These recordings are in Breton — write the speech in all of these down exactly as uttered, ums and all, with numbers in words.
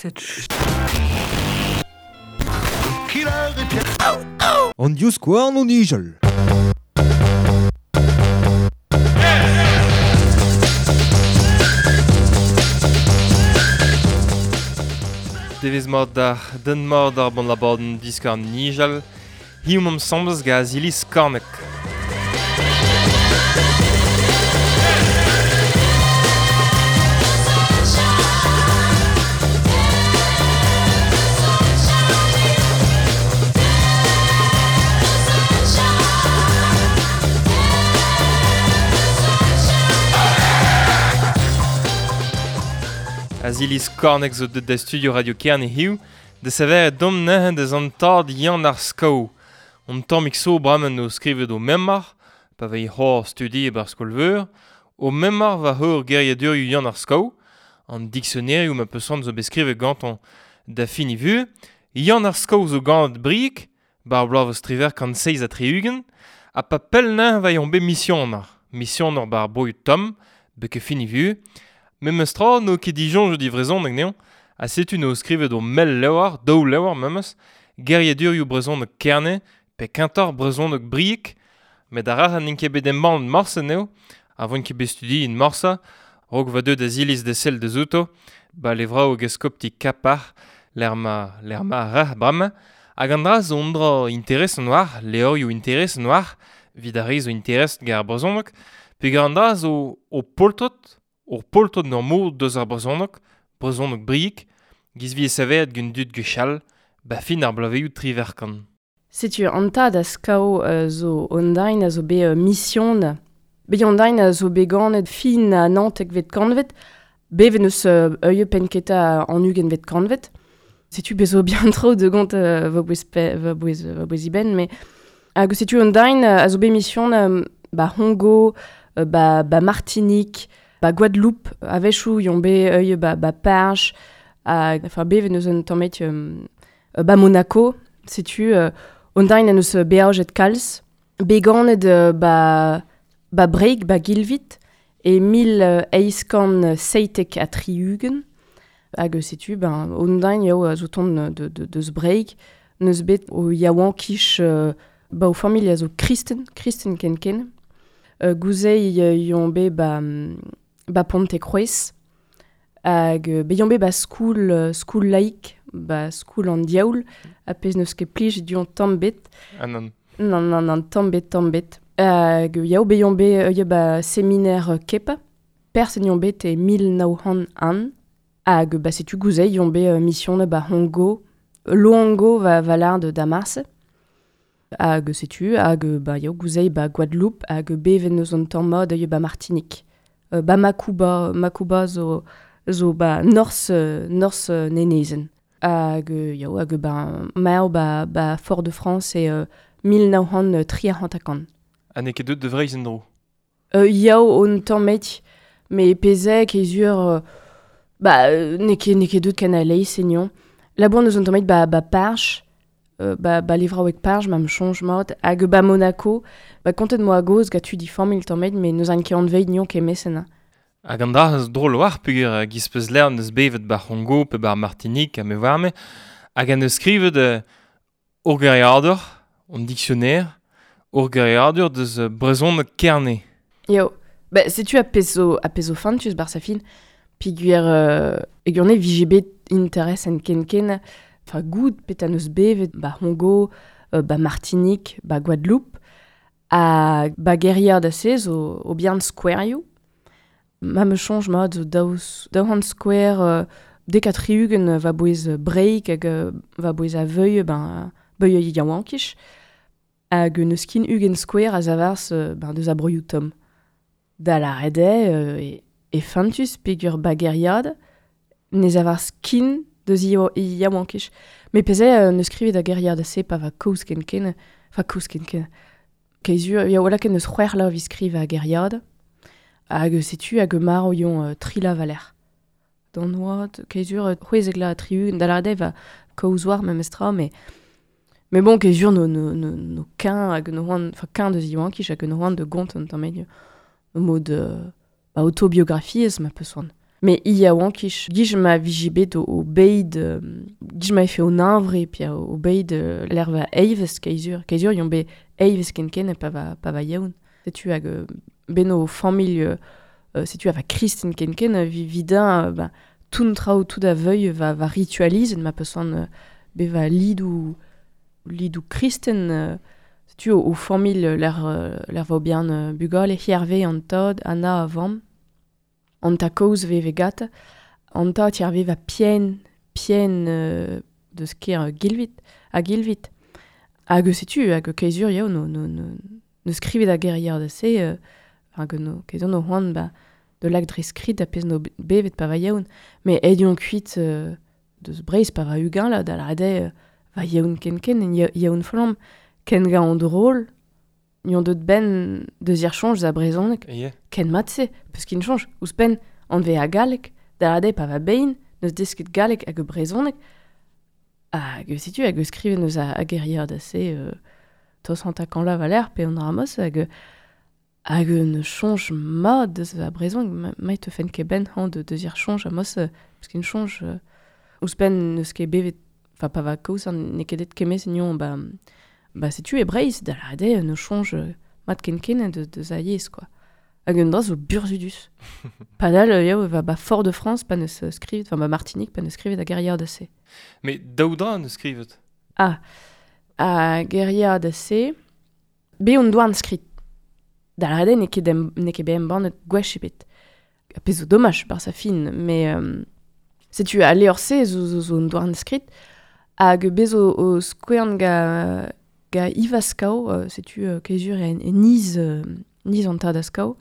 Cette An divskouarn o nijal. Devez mat d'ar den mat ar bon labadenn diskar nijal, hiziv omp asambles gant Aziliz Skorneg. Aziliz Skorneg zo deut da studio Radio Kerne hiziv, da sevel dom neuze deus an tad Yann ar Skav. On tammig so bremañ o skrivet o memor, pa vez c'hoar studi e bar skol-veur, o memor war heur geriadurioù Yann ar Skav, an diksionerioù ma peus zo bet skrivet gantañ da fin e vuhez. Yann ar Skav zo ganet Brieg, bar bloavezh triwec'h kant seizh ha tri-ugent, ha pa pell neuze va yon bet misioner. Misioner bar broioù tomm, beke fin e vuhez. Memes tra n'o ket disoñj di vrezhoneg anezhañ, ha setu n'o skrivet o mell levr, daou levr memes, geriadurioù brezhoneg Kerne, pe kentoc'h brezhoneg Brieg, met ar rac'h n'int ket bet embannet morse anezho, a voint ket bet studiet morse, raok va deuet Aziliz da sell deus outo, ba levraoueg eskopti Kapar, lec'h ma, lec'h ma ar rac'h bremañ, hag an dra zo un dra interesant war, levrioù interesant war, evit ar re zo interest gant ar brezhoneg, peogwir an dra zo o poltred, Ur poltred n'ur mod deus ar brezhoneg, brezhoneg Brieg, giz vi e savet gant dud gwechall, ba fin ar bloavezhioù triwec'h kant. Setu an tad a Skav uh, zo online a zo bet uh, mission. Bet online a zo bet ganet fin a naontekvet kantved, bevet neus uh, ur pennketa an ugentvet kantved. Setu bet zo bien tro de gant uh, va bouez pe, va bouez, va bouez iben, mais hag setu online a zo bet mission uh, ba Hongo, uh, ba, ba Martinique, ba Guadeloupe, a-wechoù yon bet ur ba, ba Parge, hag, enfin bevet neus un tamm um, ba Monaco, setu uh, online a neus beajet kalz, bet ganet uh, ba, ba Breig, ba Gilvit, e mil eizh kant seitek ha tri-ugent, hag setu, ben, online eo a zo tont de, de, deus Breig, neus bet o yaouankiz uh, ba o familh a zo kristen, kristen ken-ken. Uh, gouzei uh, yon bet ba, ba Pontekroaz, hag uh, bet yon bet ba skoul, uh, skoul laik, ba skoul an diaoul, ha pezh neus ket plij du an tamm bet. Ah non. Non, non, non, tamm bet, tamm bet. Hag yao bet yon bet uh, ba séminaire uh, Kepa, perse yon bet e mil nav c'hant un, hag ba setu gouzei yon bet uh, mission ba Hongo, Loango va valar de Damas. Hag setu, hag ba yao gouzei ba Guadeloupe, hag bevet neus an tamm mat ba Martinique. Uh, ba Macouba, Macouba zo, zo ba North, North Nenezen. Hag yao, hag ba maer ba, ba Fort-de-France e uh, mil nav c'hant tri ha hanter-kant. Ha n'eo ket deut de Vreizh en-dro? Uh, yao on tamm met, me pezek e zur, uh, ba n'eo ket, n'eo ket deut ken a leiz enion. Labour neus an tamm met ba, ba Parge, Uh, ba, ba levraoueg Parge, ma m'chonj mat, hag ba Monaco, ba kontet moa goz gant tud i familh tamm met, me neus an ket anveit nion ket mesen. Hag an dra eus drol war, peogwir giz peus lern eus bevet ba C'hongo pe ba Martinique ha me warme, hag an eus skrivet uh, ur geriadur, an dictionnaire, ur geriadur deus uh, brezhoneg Kerne. Yo, ba setu a pezh zo, a pezh zo fantus bar sa fin, peogwir uh, e gurne vije bet interes en ken-ken, enfin goud pet an eus bevet ba Hongo, uh, ba Martinique, ba Guadeloupe, ha ba geriad a se zo o bihan skouerioù. Ma me chonj mat zo daou, daou c'hant skouer uh, dek ha tri-ugent va bouez Breig hag uh, va bouez a veuille, ben, beuille yaouankiz, hag neus kin ugent skouer a zavarz uh, ben, deus a broioù tomm. Da la rede uh, e, e fantus peogwir ba geriad, ne zavarz kin deus yaouankiz. Me peze uh, neus skrivet a geriad a se pa va kaoz ken ken, enfin kaoz ken ken. Keizur, ya wala ken neus c'hwec'h la vi skriv a geriad, hag setu hag marv yon uh, tri la valer. D'an oad, keizur, c'hwezek la tri-ugent, da la rede va kaoz war memes tra, mais mais bon, keizur no, no, no, no ken hag no c'hoant, enfin ken deus yaouankiz hag no c'hoant de gont an tamm met, mod uh, ba autobiografiezh ma peus c'hoant. Me i a oankich, gij ma vije bet o, o beid, euh, gij ma efe o ninvre, pi a o beid euh, l'erva eives keizur. Keizur yon be eives ken ken pa va, pa va yaoun. Setu hag euh, beno familh, euh, setu a va kristen ken ken, vi vidin, euh, ba, toun traoù tout a veuil va, va ritualiz, ma peus euh, be va lidou, lidou kristen, euh, setu o, o familh l'er, l'er va bien euh, bugale, hierve an tad, ana a vamm, an ta kaoz ve vegat, an ta tierve va pien, pien euh, de sker euh, gilvit, a gilvit. Hag setu, hag keizur yao, no, no, no, no skrivet a gerier da se, euh, hag no, keizur no c'hoant ba, de lag dre skrid a pez no bevet pa va yaoun. Me edion kuit euh, deus breiz pa va ugain la, da la rede euh, va yaoun ken ken, en yaoun flamm, ken ga an drôle, yon deut ben deus ir chonj da brezhoneg. Yeah. Ken mat-se, peus kin chonj, ouzhpenn an ve a galleg, da rade pa va bein, neus desket galleg hag brezhoneg, hag setu hag skrivet neus a, a gerier da se, euh, tos an takan la valer, pe on ramos, hag hag ne chonj mat deus a brezhoneg, ma, ma te fen ket ben han de deus ir chonj a mos, peus kin chonj, euh, ouzhpenn neus ket bevet, enfin pa va kaoz an ne ket det kemez nion, ba, ba setu e breiz, da la rade ne chonj mat ken ken de, de za yezh, quoi. Hag un dra zo burzhudus. Padal, yao, va ba Fort de France, pa neus skrivet, enfin ba Martinique, pa neus skrivet a gerier da se. Me daou dra neus skrivet? Ah, a gerier da se, be on doan skrit. Da la rade ne ket em, ne ket be embannet gwech ebet. A pezh zo domaj bar sa fin, mais euh, setu a leor se zo, zo, zo on doan skrit, hag bez o, o skouern ga, ga Ivaskao, euh, setu euh, kezur en, en niz, euh, niz an tad askao.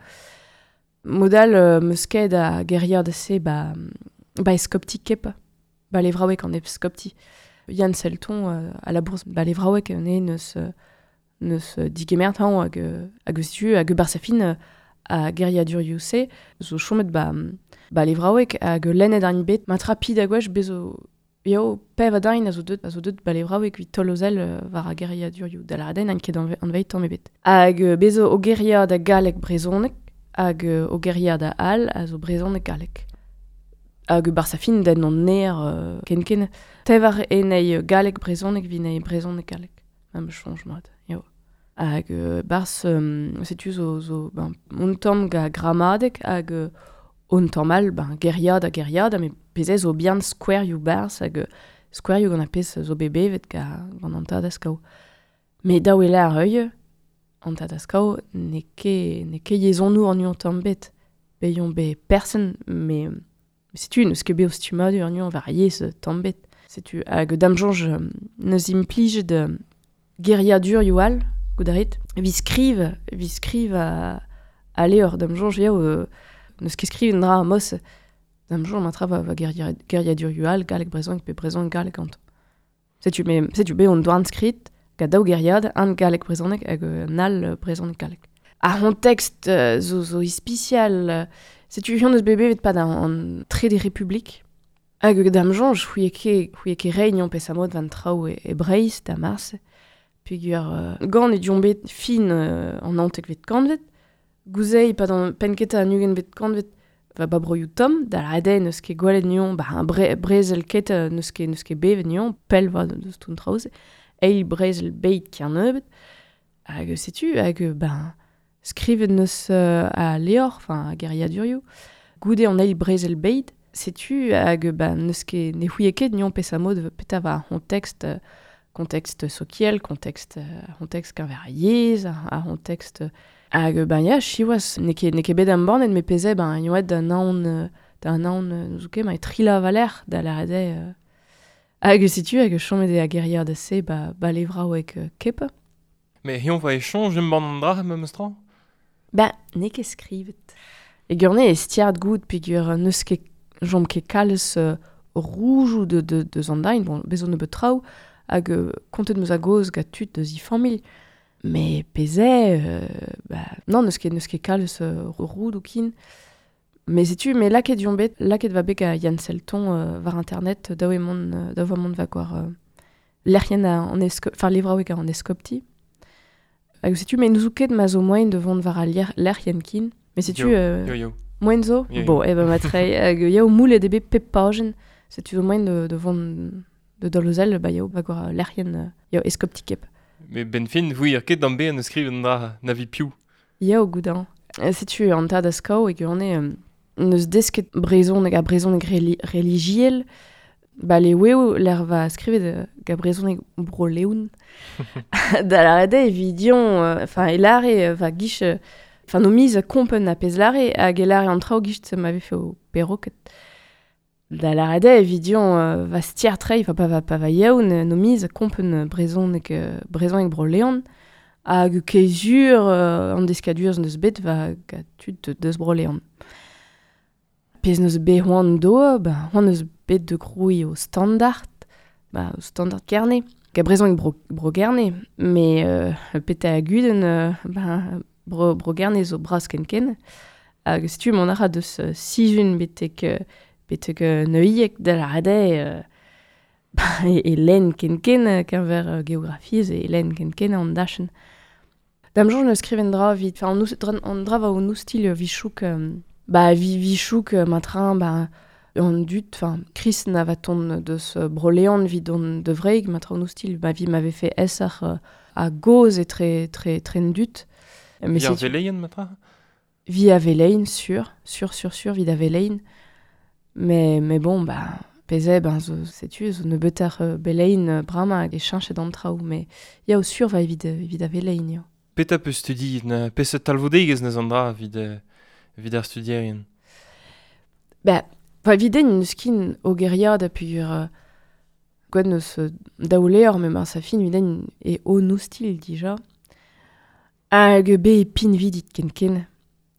Modal euh, meus ket a gerier da se ba, ba eskopti kepa, ba levraoueg an eskopti. Yann Selton euh, à la bourse, ba levraoueg ne neus, neus digemert hañ hag, hag setu hag bar sa fin a geriadur se, zo chomet ba, ba levraoueg hag lennet ar bet, ma trapi da gwech bezo Yo, pev a dain a zo deut, a zo deut ba levraoueg evit tolozel euh, war a geriadur ioù, da la raden an ket an veit tamm ebet. Hag euh, bezo o geria da galleg brezhoneg, hag euh, o geria da al a zo brezhoneg galleg. Hag bar sa fin den an ner euh, ken ken, tev ar enei galleg brezhoneg vin ei brezhoneg galleg. Ma me chonj mat, yo. Hag euh, bars, euh, setu zo, zo ben, un tamm ga gramadeg hag euh, un tamm all, ben, geria da geria da, me pezez zo bihan skouerioù barz hag skouerioù gant a pez zo bebevet ga, gant an tad askao. Me daou e la ar euil, an tad askao, ne ket, ne ket yezhonour an uan tamm bet. Be yon be person, me setu neus ket be o stummadur an uan war yezh tamm bet. Setu hag dam soñj neus implij de geriadur ioù all, goudarit, vi skriv, vi skriv a, a leor dam soñj yao, euh, neus ket skriv un dra mos, dam soñj ma tra va, va geria, geriadur ioù all, galleg brezhoneg pe brezhoneg galleg ganto. Setu me, setu be on doan skrit, gant daou geriad, an galleg brezhoneg hag un all brezhoneg galleg. Ar c'hontext euh, zo, zo ispisial, euh, setu hion eus bebe vet pa da an tre des Republik. Hag dam soñj, c'houie ket, c'houie ket reign pes amod van traoù e, e Breizh da mars, peogwir euh, gant e dion bet fin euh, an naontek vet kantvet, gouzei pa d'an pennketa an ugent vet kantvet, va ba broioù tomm, da la rede neus ket gwelet nion, ba un bre, brezel ket neus ket, neus ket bevet nion, pell va deus toun traoz, eil brezel beit ki an neubet, hag setu, hag ben, skrivet neus euh, a leor, enfin a geriadurioù, goude an eil brezel beit, setu hag ben, neus ket, ne c'houie ket nion pes amod peta va hon tekst, contexte sokiel, contexte, contexte keñver a yezh, ar contexte hag ben ya, siwazh, n'eo ket, n'eo ket bet embannet, me peze ben yoet da naon, da naon n'ouzon ket, ma e trila valer da la rede euh, hag setu hag chomet eo a gerier da se ba, ba levraoueg euh, kep. Mais hion va échange embann an dra memes tra? Ben, n'eo ket skrivet. E gurne e stiard goud peogwir n'eus ket jom ket kalz euh, roujoù de, de, de zandain, bon, bezo nebeut traoù, hag euh, kontet meus a goz gant tud deus i familh. Mais peze, euh, bah, non, n'eus ket, n'eus ket kalz euh, roud ou kin. Mais setu, me laket dion bet, laket va bet a Yann Selton euh, war internet, daou e mont, euh, daou va mont va gwar euh, lec'hien a an esko, enfin levraoueg an eskopti. Hag setu, me n'ouzou ket ma zo moaien de vont war a lec'hien kin. Mais setu... Yo, euh, yo, yo. Moen zo? Yeah, Bon, e ben matre, hag yao moulet ebe pep pajen, setu zo moen de, de vont de dolozel, ba yao, ba gwar lerien, yao eskoptikep. Me ben fin, voui ar ket d'an be an skriven dra navi piou. Yao goudan. Setu an tad a skao e gant eo neus desket brezhoneg a brezhoneg reli religiel, ba le weo l'er va skrivet ga brezhoneg bro leoun. Da la rede evidion, enfin, e lare va gich, enfin, no miz kompen a pez lare, hag e lare an traoù gich m'avait fait au perroquet. Da la rede evidion euh, va stier trei, enfin, pa va, pa va yaoun, no miz kompen brezhoneg, brezhoneg bro leon, hag kezur euh, an deskadurz neus bet va ga tud deus bro leon. Pez neus bet hoan do, ba, hoan neus bet de groui au standard, ba, au standard kerne, ga brezhoneg bro, bro gerne, me euh, pete a guden, euh, ba, bro, bro gerne zo bras ken ken, hag setu mon ara deus uh, sizun betek, betek uh, neuiek da la rade, euh, ba, e, e len ken ken, kenver uh, geografiez, e len ken ken an dachen. Dam jour neus skriven dra vit, enfin, an, dra, an dra va o stil vichouk, euh, ba vi vichouk matrin, ba an dut, enfin, Chris na va ton deus broleon vid on de vreig, matrin o stil, ba vi m'avait fait esar euh, a goz e tre, tre, tre dut. Mais vi ar veleien, matra? Vi a velein, sur, sur, sur, sur, vid a velein. Mais, mais bon, ba, peze, ben, zo, setu, zo ne beter uh, belein brama hag e cheñchet an traoù, mais ya o sur va evit, evit a velein, ya. Peta peus studi, na peseurt talvoudegezh neus an dra evit, evit ar studierien? Ba, va evit neus kin o geriad a pugur uh, gwen neus uh, daouleor, me mar sa fin evit e o nou stil dija. Hag be e pin vidit ken ken.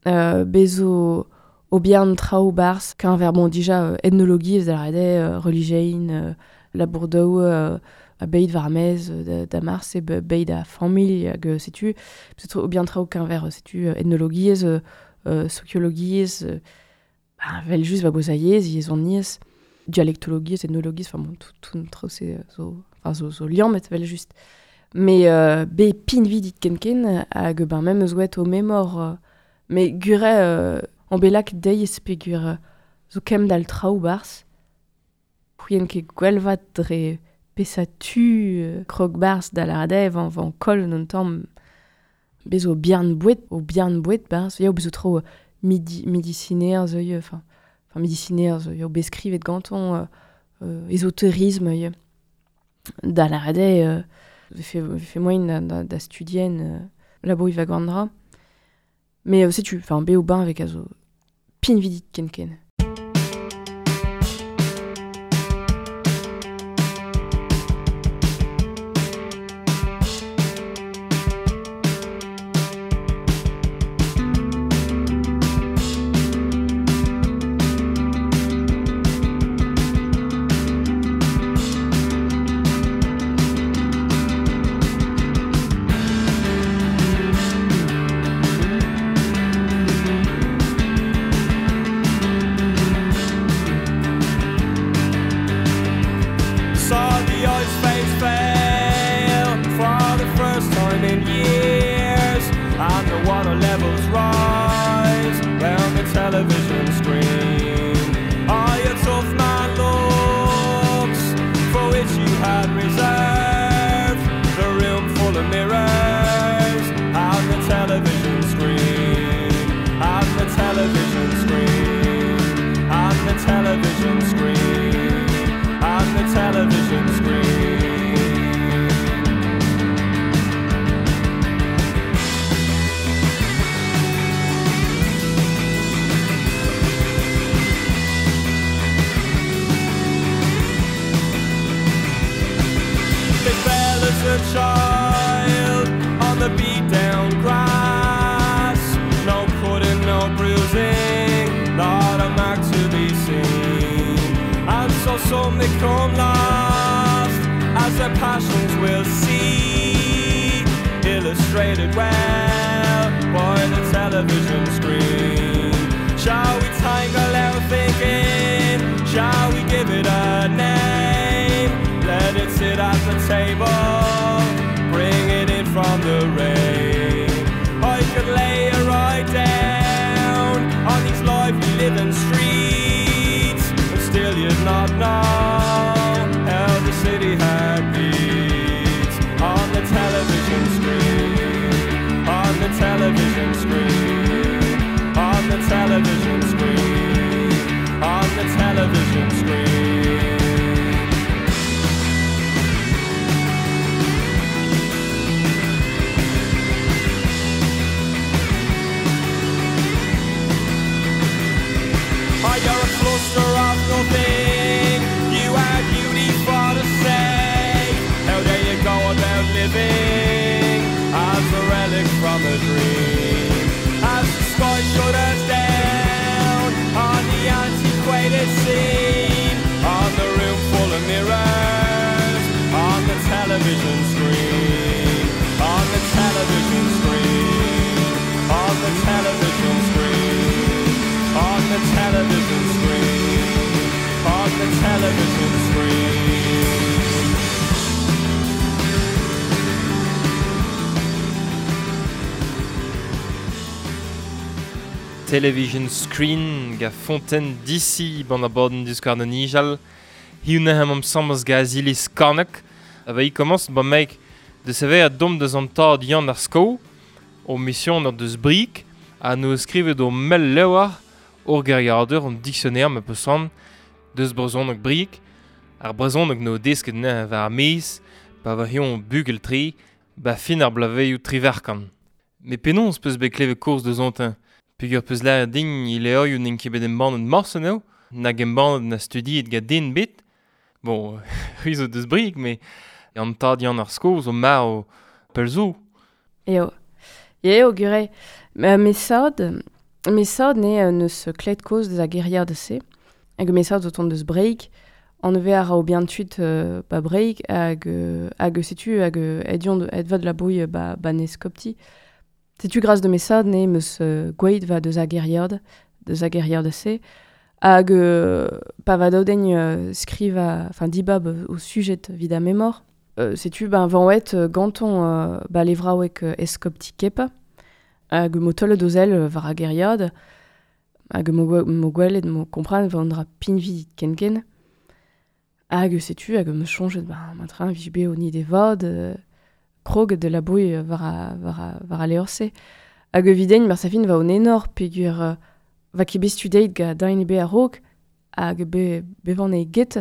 Uh, be zo o bihan traoù barz, keñver, bon, dija euh, ethnologiezh da rede, euh, religein, euh, labourdaou, euh, a beit war mez, da, da mars e beit a familh hag setu, peut-être o bihan traoù keñver, setu, ethnologiezh, euh, euh, sociologiezh, euh, ba, vel just va bozaiez, yezhoniezh, dialektologiezh, ethnologiezh, enfin bon, tout, tout traoù se zo, enfin, zo, zo liammet vel just. Mais euh, be pin vidit ken ken hag ben même eus oet o memor, euh, mais gure euh, an belak deiz pegur euh, zo kem dal traoù barz, c'hwien ket gwelvat dre pesa tu euh, krog barz da la radev an van kol non tamm bez o bihan bouet, o bihan bouet barz, ya o bezo tro euh, midi, midiciner zo enfin, enfin midiciner zo ya o beskrivet ganton euh, euh, ésotérisme ya. Da la radev euh, fait fait moyen da, da, da studien euh, labo i va gandra. Mais euh, sais-tu, enfin be o bain avec azo pin vidit ken ken. Child on the beat down grass, no cutting, no bruising, not a mark to be seen. And so some become lost as their passions will see, illustrated well by the television screen. Shall we tangle our thinking? Shall we give it a name? Let it sit at the table, bring it in from the rain. I could lay her right down on these lively single thing you are beauty for to say. How dare you go about living as a relic from a dream? As the sky shudders down on the antiquated scene, on the room full of mirrors, on the television screen, on the television screen, on the television screen, on the television screen, on the television screen. Television Screen ga Fontaine D C ban aborden diskar an nijal. Hiu nehem am sambas ga Azilis Karnak. A va i commence ban mek de sever a dom deus an tad Yann ar Sko o mission ur deus brik a no skrivet o mel lewar ur geriadur an dictionnaire me peus deus brezhoneg brik ar brezhoneg no desket ne war ar mez pa va hion bugel tri ba fin ar blaveioù triverkan. Me penons peus bet klevet kourz deus antin. Peogwir peus lâret din il eo n'en ket bet embannet morse eo, nag embannet na studiet ga den bet. Bon, c'hwi zo deus brik, me an tad Yann ar Sko zo marv pell zo. Eo. Eo, gure. Me sad, me sad ne neus klet koz deus a geriad se. Hag me sad zo tont deus breik, an eve a ra o bien tuit euh, ba breik, hag, hag setu, hag edion ed vad la bouille ba, ba neskopti. Setu gras de me sad ne meus uh, gweid va deus a geriad, deus a geriad se. Hag euh, pa va daoudegn uh, skriva, enfin dibab o sujet vid a memor. Euh, setu ben vanwet uh, ganton uh, ba levraouek uh, eskopti kepa. Hag mo tolle dozel uh, war a geriad. Hag mo, mo gwelet mo kompran va andra pinvi kenken. Hag setu hag me chonjet ben matrin vij be o ni de vad uh, krog de la bouille war a, war a, war a leorse. Hag evidegn mar safin va on enor peogwir uh, va ket bet studeit ga dain be a-raok hag be bevan e get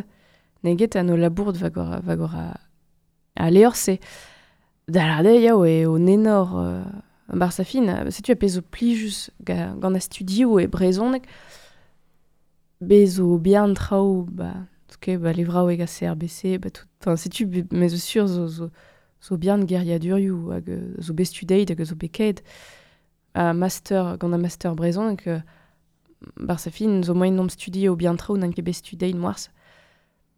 ne get an o labourd va gor, va gor a, a leorse. Da larde yao e on enor uh, bar safin, setu a pezh zo plijus ga, gant a studioù e brezhoneg bez zo bihan traoù ba, tout ba levraoueg a C R B C ba tout, enfin setu me zo sur zo, zo zo bihan geriadurioù hag zo bet studeit hag zo bet ket a master gant a master brezhoneg uh, bar sa fin zo moaien nom studi o bihan traoù n'an ket bet studeit moarz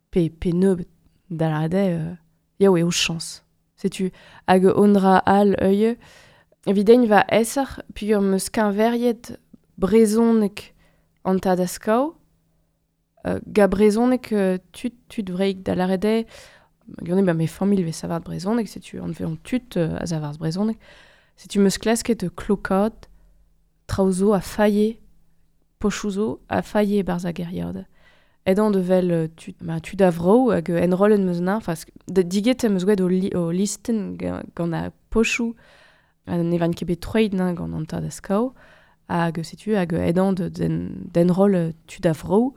pe, pe nebeut da larade euh, yao eo chañs. Setu hag ondra al euie evidegn va eser peogwir meus keñveriet brezhoneg an tad a skao euh, ga brezhoneg euh, tud tud vreik da larade gant ba me familh vez savart brezhoneg, setu an veont tud euh, a savart brezhoneg. Setu meus klasket klokad traoù zo a faie, pochoù zo a faie barzh a geriad. Edan de vel tud, ma tud a vro hag enrollen meus na, enfin diget meus gwet o, li, o listen gant a pochoù ne van ket bet troet na gant an tad a skao, hag setu hag edan de den, d'enroll tud a vro.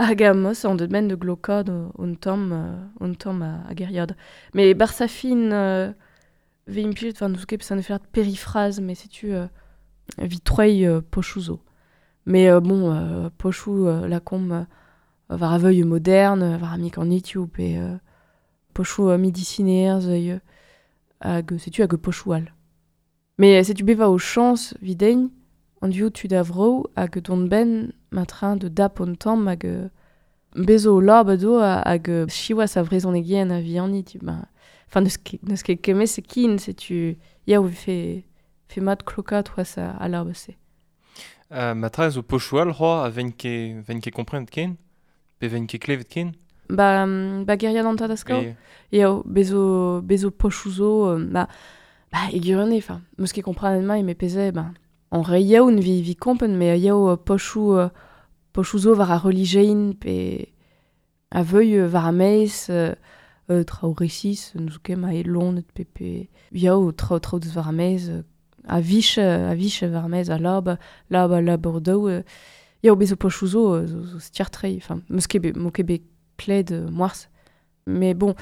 Hag a mos an deut men de glokad on tamm on tamm a, a geriad. Me bar sa fin euh, ve implijet, enfin n'eus ket peus an efer périphrase, mais setu euh, vi troei euh, pochoù zo. Mais euh, bon, euh, pochoù euh, la kom euh, war a veuil moderne, war a mik an YouTube pe euh, pochoù euh, midicinerz euh, hag setu hag pochoù al. Mais setu beva o chañs videgn an duo tud a vro hag don ben matrin de dap on tamm hag bezo lab do hag chiwas a vrezhonegien a vihanni tu ben enfin neus ket neus ket kemez se kin setu ya o fe fe mat klokat oas a, a lab se. Uh, matra zo pochoù al c'hoa a ven ket ven ket komprenet ken pe ven ket klevet ken? Ba ba geriad an tad a skao. Eo bezo bezo pochoù zo ba ba e gwirionez enfin meus ket komprenet mai me peze ben en re yaoun vi vi kompen me yao pochoù uh, pochoù zo war a relijein pe a veuil war a meiz euh, euh, traoù resis n'eus ket ma e lonet pe pe yao traoù traoù deus war a meiz a vich a vich war a meiz a lab lab a labour daou euh, yao bezo pochoù zo zo, zo stiartrei enfin meus ket bet mo ket bet kled euh, moarz mais bon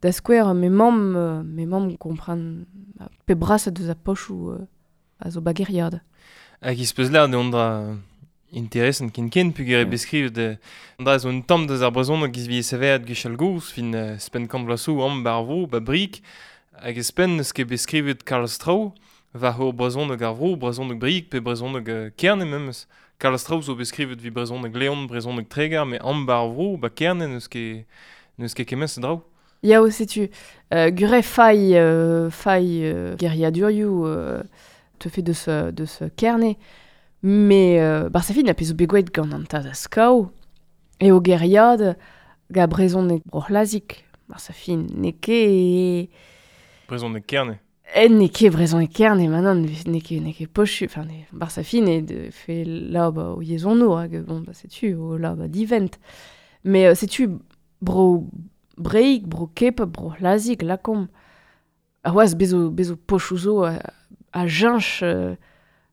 da skouer me mamm euh, me mamm kompran pe brasat deus a pochoù euh, a zo bageriad. Hag iz peus lâret ondra Interessant ken ken pugur e beskrivet de... An dra zo un tamm deus ar brezhoneg giz vi seveat gwechall gozh, fin uh, spenn kant vloaz zo am bar vro, ba brik, hag e spenn neus ket beskrivet kalz traoù, war hor brezhoneg ar vro, brezhoneg brik pe brezhoneg uh, Kerne memes. Kalz traoù zo beskrivet vi brezhoneg Leon, brezhoneg Treger, me am bar vro, ba Kerne neus ket neus ket kement se draoù. Yao, setu, euh, gure fai, euh, fai euh, geriadurioù euh, te fait deus, deus Kerne, mais euh, bar sa fin a pezo begouet gant an tad a skao, e o geriad ga brezhoneg broc'hlazik, bar sa fin ne ket... Brezhoneg Kerne. En ne ket brezhoneg Kerne, manan, ne ket, ne ket pochu, enfin, ne, bar sa fin e de fait là ba o yezhono, hag bon, ba setu, o là ba divent. Mais euh, setu bro... Breik, bro kep, bro hlazik, lakom. A oaz bezo, bezo pochou zo a, a jinch, euh,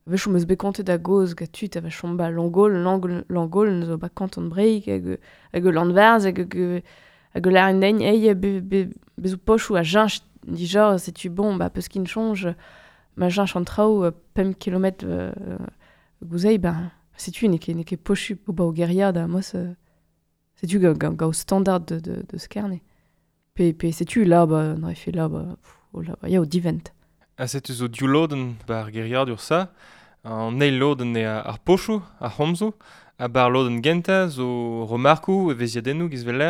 vechou meus bet kontet a goz ga tud a va chom ba Langol, Langol, Langol zo ba kanton Breik, hag, hag Landvarz, hag, hag laren den, ei, be, be, bezo pochou a jinch, dija, setu bon, ba peus kin chonj, ma jinch an traoù, pemp kilometr euh, gouzei, ba, setu ne ket, ne ket pochu ba o geriad a mos... Euh, Setu ga, ga, ga o standard de, de, de skerne. Pe, pe setu là, ba, n'aurait fait là, ba, pff, oh là, ba, ya o divent. Ha setu zo div lodenn ba ar geriadur sa, an eil lodenn eo ar pochoù, ar c'homzoù, ha bar lodenn gentañ zo remarkoù, evezhiadennoù giz vel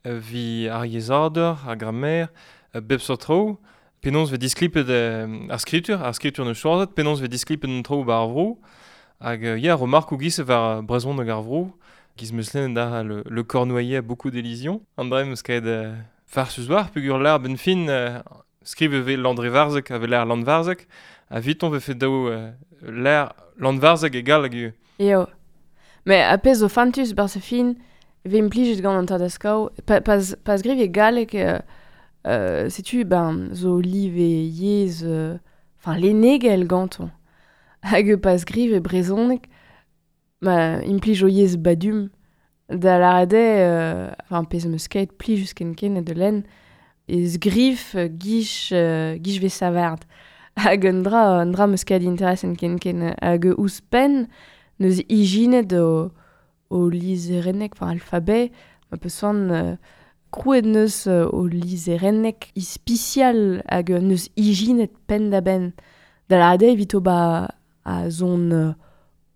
vi ar yezhadur, ar grammaire, bep seurt traoù, penaos vez disklipet euh, ar skritur, ar skritur neus choazet, penaos vez disklipet an traoù ba ar vro, hag ya remarkoù giz war brezhoneg ar vro, giz meus lennet da le, le Cornouaillais a beaucoup d'élisions. An dra meus kaet euh, farsus war, pugur l'ar ben fin euh, skrive ve Landrevarzeg a ve l'ar Landvarzeg, a viton ve fet daou euh, l'ar Landvarzeg egal hag eo. Eo. Mais a pez zo fantus bar sa fin, ve implijet gant an tad a skao, pa, pas, pas griv e galleg, euh, euh, setu, ben, zo live yez, enfin, euh, lennegel ganton. Hag pas griv e brezhoneg, ma implij o yez badum da l'arade, euh, enfin, pez meus ket plijus ken ken de len, ez grif guich, euh, guich ve savard. Hag un dra, un dra meus ket interesent ken ken hag ouzhpenn neus ijinet o, o lizherennek, enfin, alphabet, ma peus soan euh, krouet neus o lizherennek ispisial hag neus ijinet penn da benn. Da l'arade evito ba a zon euh,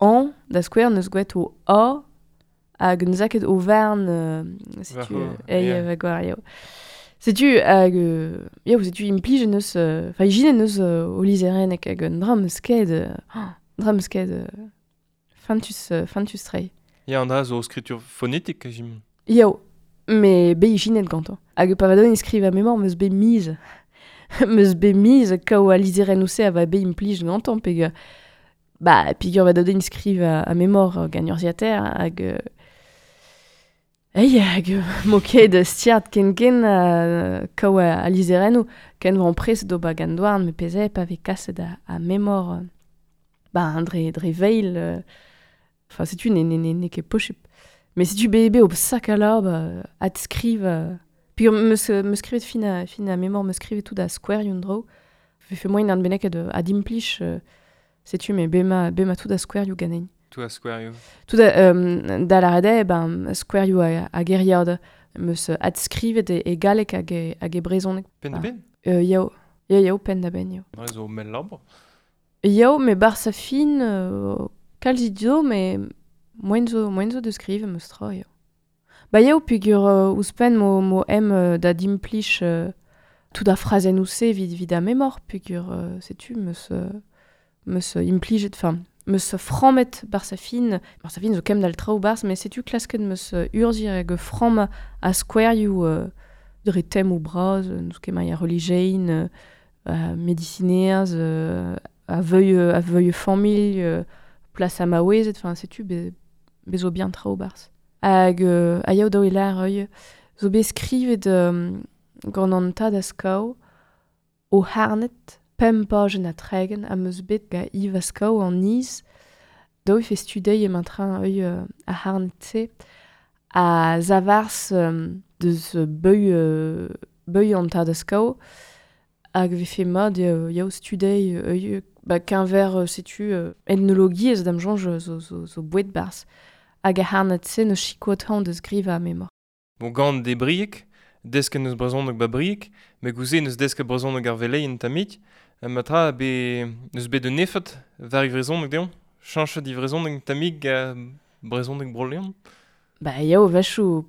an, da skouer neus gwelet o a, hag neus aket o vern, euh, setu, ei, yeah. va gwar, eo. Setu, hag, euh, eo, setu implij neus, enfin, euh, ijine neus euh, o lizherennek hag un dra meus ket, euh, dra meus ket, euh, fantus, euh, fantus trei. Ya, an dra zo skritur fonetik, jim. Eo, me be ijinet gantañ. Hag pa va don iskriv a memor meus be miz. Meus be miz kaou a lizherenn ouse a va be implij gantañ, peg... Ba, pigur va doden skriv a, a memor gant urzhiataer hag... Euh, ei, hag mo ket stiart ken ken uh, kaou a, a lizherennoù, ken van pres do ba gant douarn, me peze pa vez kaset a, a memor, ba, dre, dre veil, enfin, setu ne, ne, ne, ne ket pochup. Mais setu be be o sak a la, ba, at skriv... Euh, pigur meus, meus skrivet fin a, fin a memor, meus skrivet tout a skouer yon dro. Fe fe moin an bennek ad, ad implij... Euh, Setu, me bema, bema tout a skouerioù ganin. Tout a skouerioù. Tout a, euh, da l'arade, ben, skouerioù a, a geriad. Meus adskrivet e, e galleg hag e, hag e brezhoneg. Penn da ben? Euh, yao. Ya, yao, penn da ben, yao. Dre zo mell labour. Yao, me bar sa fin, euh, kalzit zo, me moen zo, moen zo de skrive meus tra, yao. Ba yao, pugur euh, ouzhpenn mo, mo em euh, da dimplij euh, tout a frazenn ouse vid, vid a memor, pugur, euh, setu, meus... Euh, meus implijet, enfin, meus frammet bar sa fin, bar sa fin zo kem dal traoù barz, mais setu klasket meus urzir hag framm a skouerioù euh, dre tem ou braz, n'eus ket maia relijein, euh, a medicinerz, euh, a veuil, a veuil familh, euh, plas a maouezet, enfin, setu be, bezo bien traoù barz. Hag euh, a yaou daou e lar eo, zo bet skrivet euh, gant an tad a skao o harnet, pemp pajenn a tregen a meus bet ga Yves Askao an niz, daou e fe studei em train eo euh, a harnet-se, a zavars euh, deus beuil, euh, beuil an tad a skao, Hag vefe mat euh, yao studei euh, ba keñver euh, setu euh, etnologiezh da'm soñj zo, zo, zo boued barzh. Hag a harnad se neus chikoat hañ deus griva memor. Bon, gant de briek, desk neus brezhoneg ba briek, me gouze neus desk brezhoneg ar veleien tamik, matra be neus bet un efet var brezhoneg deomp, chañchet di brezhoneg tamik ga brezhoneg bro-Leon. Ba yao vechou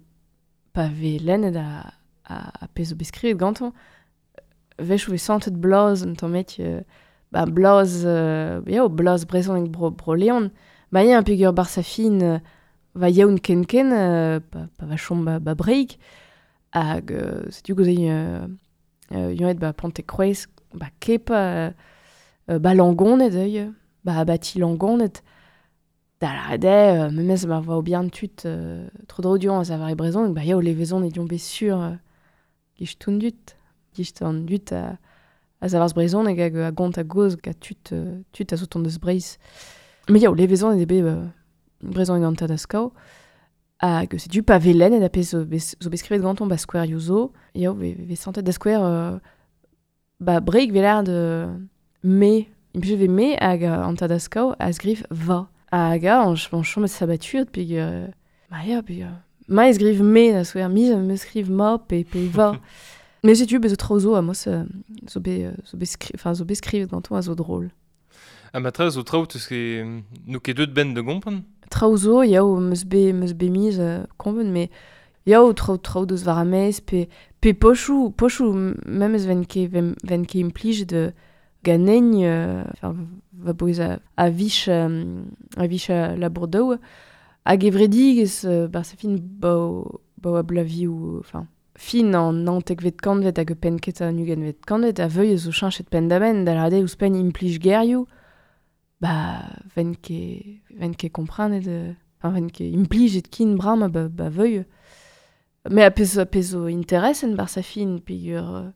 pa ve lennet a, a, a pezh zo bet skrivet gantañ, vechou ve santet blaz un tamm euh, ba blaz, euh, yao blaz brezhoneg bro, bro-Leon, ba ya un pegur bar sa fin euh, va yaoun ken ken, euh, pa, pa va chom ba, ba breik, hag euh, setu gouze euh, euh, yonet ba Pontekroaz, ba kepa, euh, euh, ba Langoned eo, ba abati Langoned, da la rede, euh, memez ma va obian tut euh, tro dro dion a zavar e brezhoneg, ba yao levezon e dion bet sur euh, gich toun dut, gich an dut a, a zavar brezhoneg hag a gont a goz ga tut, euh, tut a zo tont deus Breizh. Mais yao levezon e bet euh, brezhoneg an tad a skao, hag setu pa velen et a pezh zo bet zo bet skrivet ganton ba skouer yozo, yao ve, ve santet da skouer euh, ba breik velar de me, implij ve me hag an tad a skao a sgrif va. Hag a, an, an chom et sabatuet peg euh, ma ya, peg euh, ma e sgriv me da skouer, mi me skriv ma pe, pe va. Mais setu bez zo traoù zo a mos euh, zo bet zo bet skri, enfin zo bet skrivet ganton a zo drôle. Ha matra zo traoù teus ket n'o ket deut ben de gompren? Traoù zo, yao meus bet meus bet miz euh, kompren, mais yao traoù traoù deus war amez, pe, pe pochoù, pochoù memes ven ket ven, ven ket implij de ganegn, euh, enfin, va boez a, a vich, euh, a vich a labour daou, hag evredigez euh, bar sa fin bao, bao a blaviou, enfin, fin an naontekvet kantvet hag penket an ugentvet kantvet, a veuilh zo cheñchet penn da benn, da lâret ouzhpenn implij gerioù, ba ven ket ven ket komprenet, euh, enfin, ven ket implijet kin bram ba, ba veuilh. Mais a pezh, a pezh zo interesen bar sa fin, peogwir euh,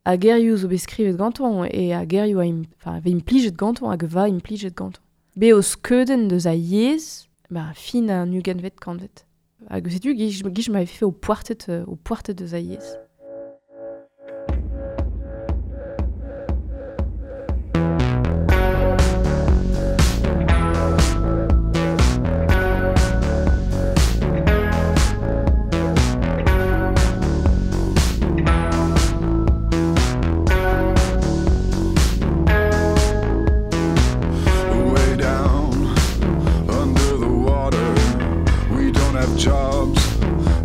a gerioù zo bet skrivet ganton, e a gerioù a im, enfin, ve implijet ganton hag va implijet ganton. Be o skeudenn deus a yezh, ba fin an ugentvet kantvet. Hag setu gich, gich m'avait fait au poartet, euh, au poartet deus a yezh. Way down under the water, we don't have jobs,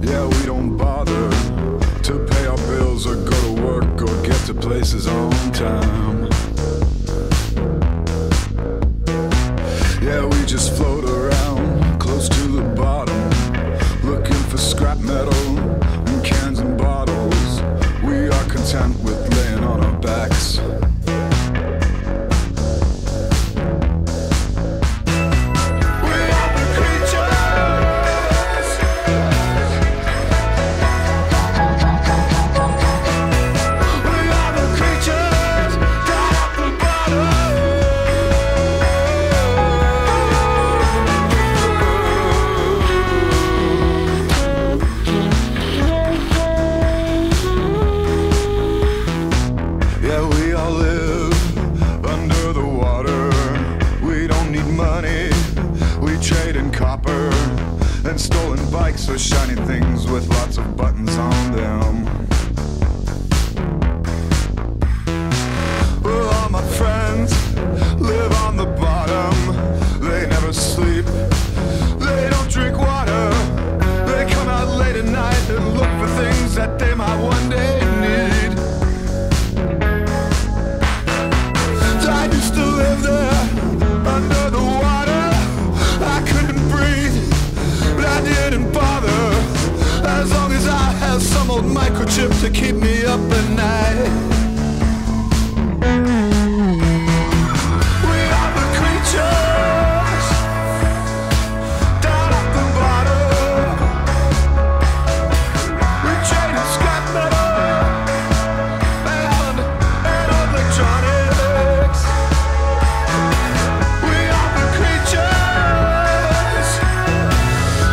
yeah, we don't bother to pay our bills or go to work or get to places on time. Yeah, we just float around close to the bottom, looking for scrap metal and cans and bottles. We are content with laying on our backs. We are the creatures. We are the creatures down at the bottom. Yeah, we all live under the water. We don't need money. We trade in copper and stolen bikes or shiny things with lots of buttons on them. Well, all my friends live on the bottom. They never sleep. They don't drink water. They come out late at night and look for things that they might one day need. I used to live there under the water. I couldn't breathe, but I didn't bother. As long as I had some old microchip to keep me up at night. We are the creatures down at the bottom. We trade in scrap metal and, and electronics. We are the creatures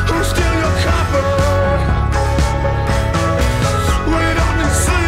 who steal your copper. We don't need sleep.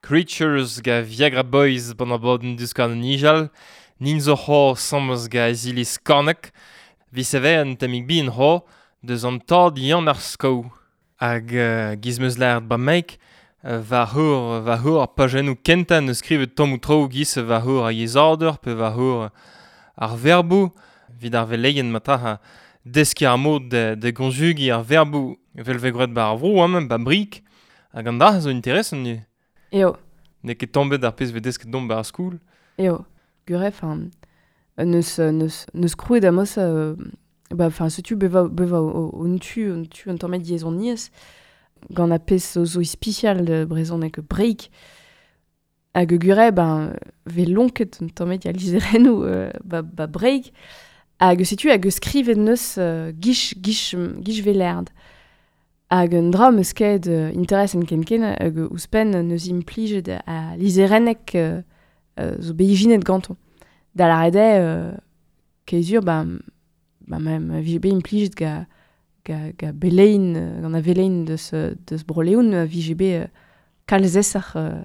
Creatures ga Viagra Boys ban ar bod an deus an nijal, nin zo c'hor sammes ga azilis kornek, vi seve an tamig bi en c'hor deus an tad yann ar sko. Hag uh, giz meus lâret ba meik, uh, va heur, va heur ar pajennoù kentañ neus skrivet tamm tro giz va heur a yezhadur pe va heur ar verboù, vid ar veleien matra ha deskiñ ar mod de, de gonjugi ar verboù vel ve gwraet ba ar vro amañ ba brik, hag an dra zo interesant nu. Eo. N'eo ket tombet ar pezh ve desket domp ba ar skoul. Eo. Guref, hein, neus, neus, neus krouet amos, euh, ba, enfin, setu beva, beva o, o tu, un tu un tamm yezhoniezh, gant a pezh zo zo ispicial de brezhoneg break, hag gure, ben, ve lonket un tamm ya lizerennoù euh, ba, ba break, hag setu hag skrivet neus euh, gich, gich, gich velerd. Hag un dra meus ket euh, interes en ken ken hag ouzhpenn neus implijet a lizerennek euh, euh, zo beijinet ganton. Da la rede, euh, kezur, ba, ba ma, ma vije bet implijet ga, ga, ga belein, gant a velein deus, deus broleoun, ma vije bet euh, kalz esar, euh,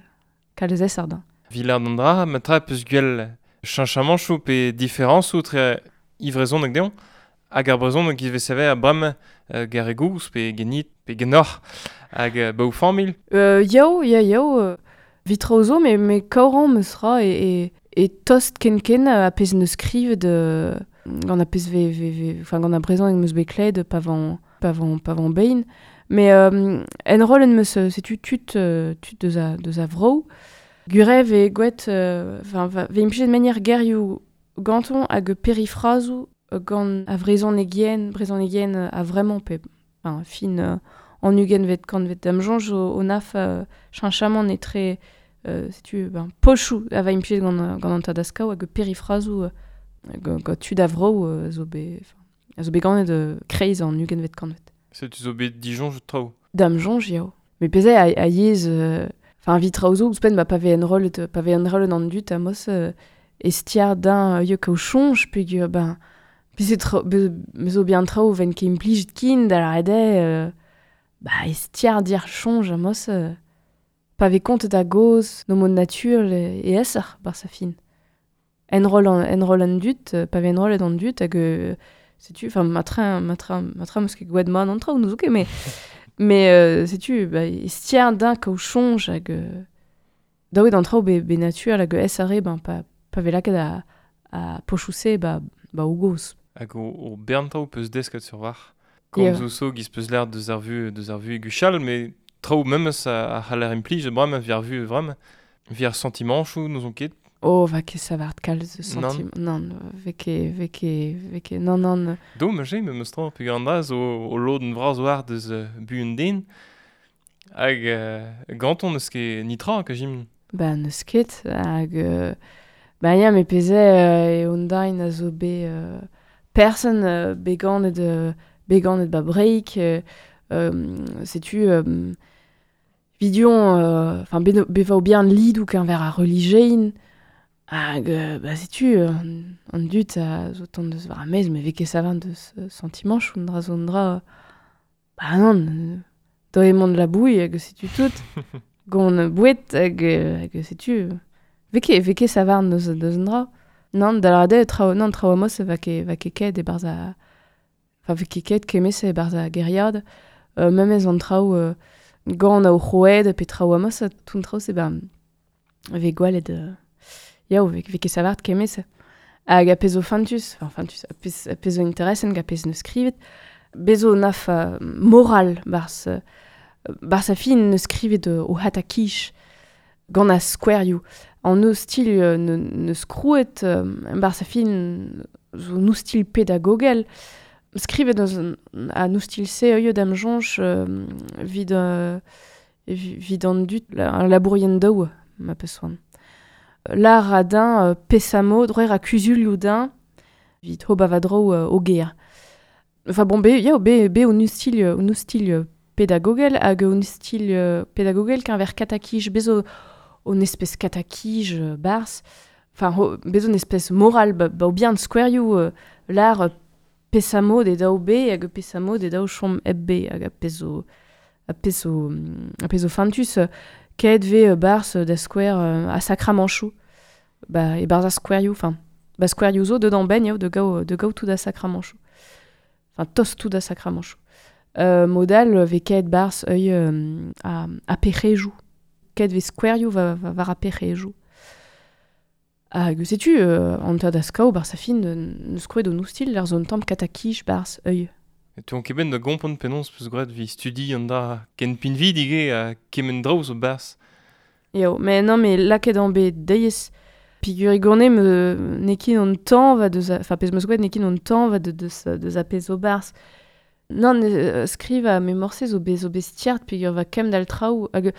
kalz esar da. Vilard an dra, ma tra peus gwell chañchamanchoù pe diferañsoù tre ivrezon hag deomp, hag ar brezhoneg giz vez save a brem euh, garegouz pe genit pe genoc'h hag euh, ba o familh. Euh, yao, ya, yao, euh, vitra zo, me, me kaoran meus ra e, e, e tost ken ken a pezh neus skrivet euh, gant a pezh ve, ve, ve, enfin, gant a brezhoneg meus bet klevet pa van, pa van, pa van bein. Mais euh, en rol en meus, setu tut, euh, tut deus a, deus a vro. Gurev e gwet, euh, enfin, va, ve implijet manière gerioù ganton hag perifrazoù gant a vrezhonegien, brezhonegien a vraiment pe, enfin, fin euh, an ugent vet kant vet dam soñj o, o naf euh, chañchamant etre euh, setu ben, pochoù a va implijet gant, gant an tadaskaou hag perifrazoù euh, gant, gant tud a vro euh, zo bet, enfin, a zo bet ganet euh, kreiz an ugent vet kant vet. Setu zo bet disoñj traoù. Dam soñj yao. Mais pezh a, a yezh, euh, enfin, vitra zo ouzhpenn ba pa ve enrollet, pa ve enrollet an dut amos euh, estiar d'un euh, kaout soñj peogwir ben Pe se tro, be, me zo bien traoù ven ket implijet kin da la rede, euh, ba estiar dir soñj amos euh, pa ve kontet a goz no mod natur e esar bar sa fin. Enroll an, enroll an dut, pa ve enrollet an dut hag euh, setu, enfin, ma train, ma train, ma train meus ket gwet man an traoù, n'eus ket, mais, mais euh, setu, ba, estiar d'un kaout soñj hag euh, daouet an traoù be, be natur hag esare, ben, pa, pa ve lakaet a, a pochouse, ba, ba o goz. Hag o, o bern traoù peus desket sur war. Komz yeah. Zo giz peus l'air deus ar vu, deus ar vu guchal, mais traoù memes a, a c'haller implij, bremañ vi ar vu vraiment, vi ar sentimanchoù n'ouzon ket. Oh, va ket savart kalz sentim... Non, ve ket, ve ket, ve ket, non, non. Do, ma j'ai, memes tra, peogwir an dra zo o lodenn vras war deus uh, bu un den, hag euh, ganton neus ket nitra, ka jim. Ba, neus ket, hag... Euh, ba, ya, me peze euh, e ondain a zo bet... Euh, person euh, beganet euh, beganet ba break euh, euh, setu euh, vidion enfin euh, beva o bien lidou qu'un ver a religein hag euh, ba setu euh, an dut a zo tant deus war a mez me ve ket savant deus sentiment choun dra zo dra ba non euh, do emañ de la bouille hag setu tout gant bouet hag hag setu ve ket ve ket savant deus deus dra. Non, da la rade, traoù, non, traoù amos va ket, va ket ket e barz a... Enfin, va ket ket kemez e barz a geriad. Euh, memez an traoù euh, gant a o c'hoed pe traoù amos, tout an traoù se ba... Ve gwalet... Euh, yao, ve, ve ket savart kemez. Hag a pezh zo fantus, enfin fantus, a pezh, a pezh zo interesent, a pezh neus skrivet. Bezo naf uh, moral barz, uh, barz a fin neus skrivet uh, o hatakich gant a skouerioù. An no stil euh, ne, neus krouet, euh, bar sa fin zo no stil pedagogel, skrivet eus a no stil se eo dam soñj euh, vid, euh, vid an dut, la, labourien daou, ma peus soan. Lar a din euh, pesamo, droer a kuzulioù din, vid ho bavadro euh, o ger. Enfin bon, be, ya, be, be o no stil, o no stil pedagogel, hag o no stil pedagogel qu'un ver katakij, bezo on espèce katakij euh, bars, enfin ho, bezo un espèce moral ba, ba o bien skouerioù euh, lar pesamo de daou be hag pesamo de daou chom eb be hag a pezo a pezo a pezo fantus euh, Ket ve euh, bars euh, da square euh, a sakramanchou. Ba, e barz a squarioù, enfin, ba squarioù zo deud an ben eo de gao, de gao tout a sakramanchou. Enfin, tos tout a sakramanchou. Euh, modal ve ket bars œil euh, a, a perrejou. Ket ve squarioù va, va, var a perrejou. Hag setu, euh, an tad a skao bar sa fin neus krouet o noustil ar zon tamm katakich bars œil. E tu an ket ben da gompont penaos peus graet vi studi an da ken pinvi dige a kemen draoù zo bars. Eo, mais non, mais lakaet an bet deiz pigur igorne me nekin an tan va deus, enfin pez meus gwet nekin an tan va de deus, deus a pez zo bars. Non, euh, skriv a me morse zo bez zo bez tiart pigur va kem dal traoù hag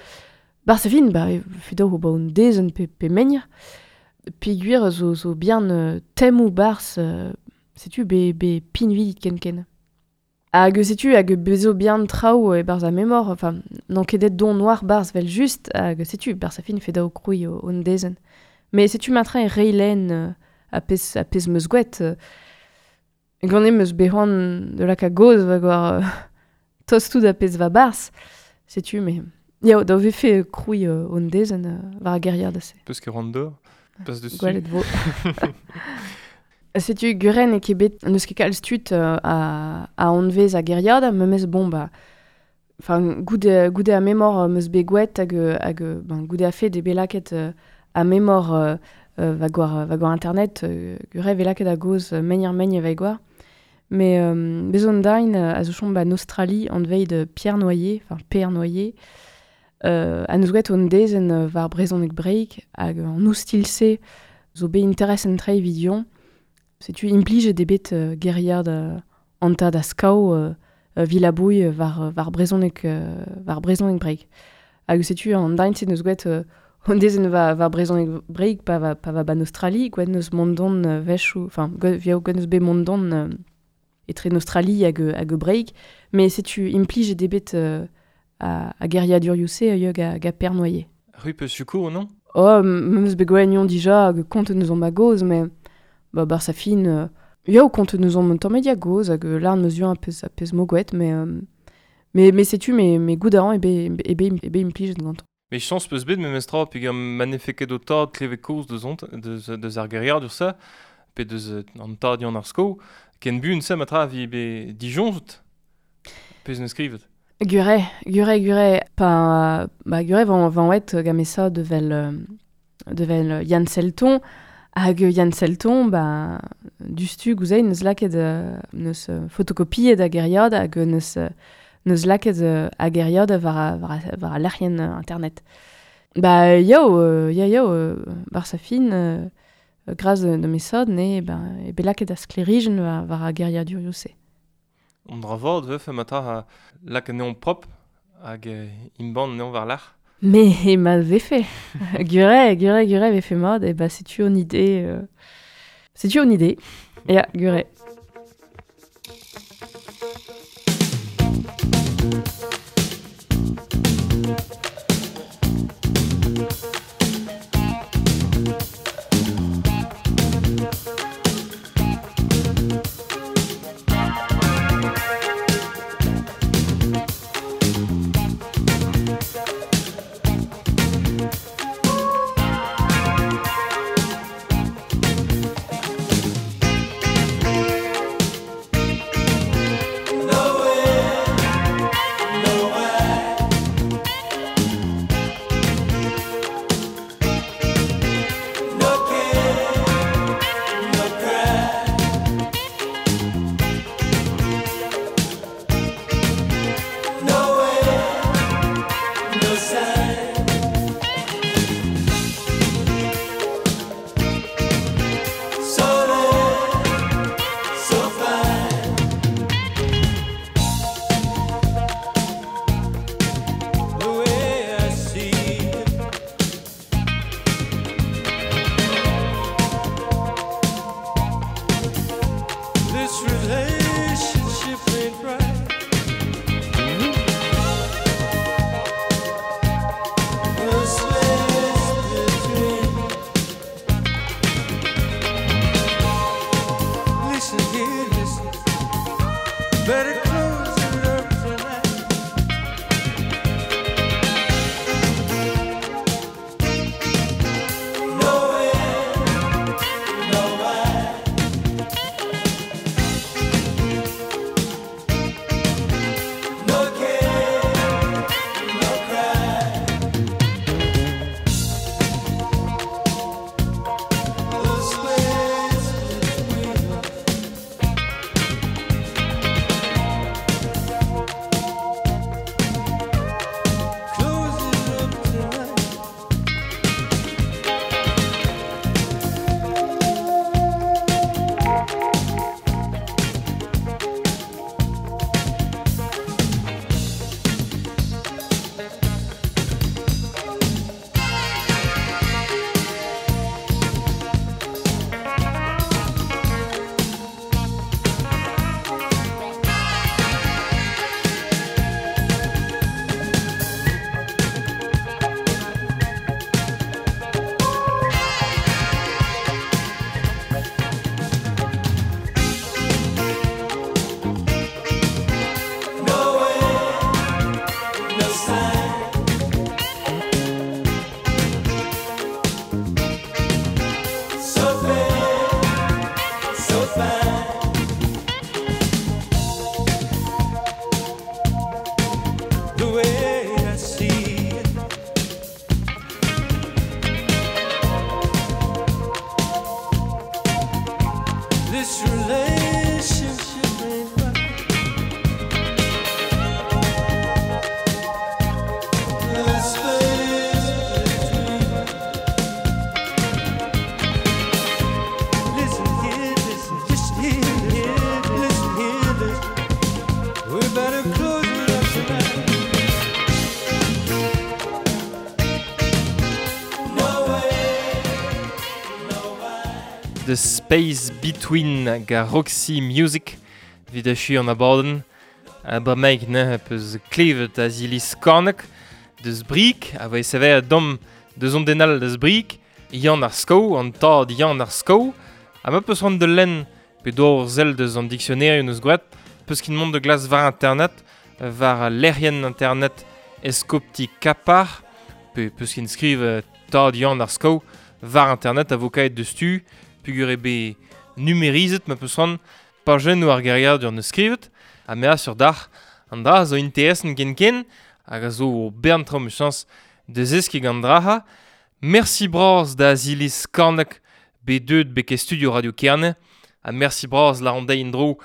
bar sa fin, ba, fido ho ba un dezen pe, pe menir. Piguir zo, zo bien euh, tem ou bars, euh, setu be, be pinvi ken ken. Hag setu hag bezo bien traoù e barz a memor, enfin, n'an ket don noir barz vel just, hag setu barz a fin feda o kroui o, on dezen. Mais setu matra e reilen euh, a pez, a pez meus gwet. Euh, gant meus behoan de lak a goz va gwar euh, tost tout a pez va barz, setu, mais... Yao, da vefe kroui euh, on dezen euh, war a geriad ase. Peus ket ran dor. Pas dessus. Gwelet vo. Setu guren e ket bet neus ket kalz tud euh, a, a anvez a geriad, memes bon ba... Enfin, goude, goude a memor meus bet gwet hag, hag ben, goude a fet e bet laket euh, a memor euh, va gwar, va gwar internet, euh, gure ve laket a goz menir megn e va gwar. Mais euh, bezon dain a zo chom ba en Australie anveit de Pierre Noyer, enfin Pierre Noyer, Euh, a neus gwet on dezen war brezhoneg breik hag an oustil-se zo bet interes en trei vidion. Setu implije de bet euh, geriad euh, an tad a skao euh, vilabouille war, war brezhoneg euh, war brezhoneg breik. Hag setu an dain se neus gwet euh, on dezen war, war brezhoneg breik pa va, pa va ban Australie, gwet neus mondon euh, vechou, enfin gwet, gwet neus bet mondon euh, etre en Australie hag, hag breik, mais setu implije de bet euh, a, a geriadurioù-se hag a, a per noyer. Ru peus sukour, non? Oh, meus bet gwennion dija hag kont neus on ma goz, mais ba bar sa fin... Euh, yo, kont neus on tamm media goz hag l'arn meus un pez, a pez mogwet, mais, euh, mais, mais setu, mais, mais gout aran ebe, ebe, ebe implijet gantañ. Mais chans peus bet memes tra, peg am manefeket o tad kleve koz deus ont, deus, deus ar geriadur sa, pe deus an tad yann ar sko, ken bun se matra vi be dijonjout, pez neus skrivet. Gure, gure, gure, pa, ba, gure van, van oet gamesa devel, devel Yann Selton, hag Yann Selton, ba, dustu gouzein neus laket neus fotokopiet a geriad hag neus, neus laket a geriad war, war, war a lec'hien internet. Ba, yo, ya, yo, bar sa fin, gras de mesod, ne, ba, e bet laket a sklerijen war, war a geriadurioù se. On dra vord veuf matra a lak neon prop hag imban neon war lach. Mais ma vefe. Gure, gure, gure vefe mod, e ba setu on idée. Euh... Setu on idée. Ya, gure. Better close it up tonight. The Space Between ga Roxy Music vid achu an abadenn a bremaik neuze peus klevet Aziliz Skorneg deus Brieg a voe sever dom deus on denal deus Brieg Yann ar Sko an tad Yann ar Sko ha ma peus c'hoant de lenn pe dor zel deus an dictionnaire eus gwet peus kin mont de glas war internet war lec'hienn internet eskopti Kapar pe peus kin skriv tad Yann ar Sko war internet a vo kaet deus tu pugur eo bet numerizet ma peus c'hoant pajennoù ar geriadur neus skrivet ha mea sur d'ar an dra zo interesant ken ken hag a zo bern traoù mechañs deus eski gant draha. Merci bras da Aziliz Skorneg bet deuet beke studio Radio Kerne ha merci bras la an deiz en-dro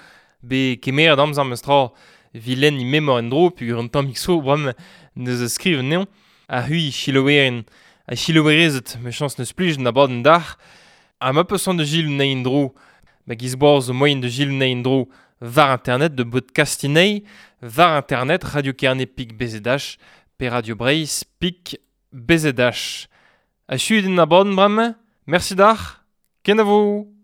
bet kemeret amzer meus tra vilen i memor en-dro pugur an tammig so bremañ neus skriv anezhañ ha c'hwi chilowerin ha chilowerezet mechañs neus plij an abadenn d'ar ha ma peus c'hoant da gil anezhi en-dro ma giz boaz zo moaien da gil anezhi en-dro war internet de podcastinei war internet Radio Kerne pik B Z H pe Radio Breizh pik B Z H. Achu din abadenn bremañ, merci d'ar, kenavo!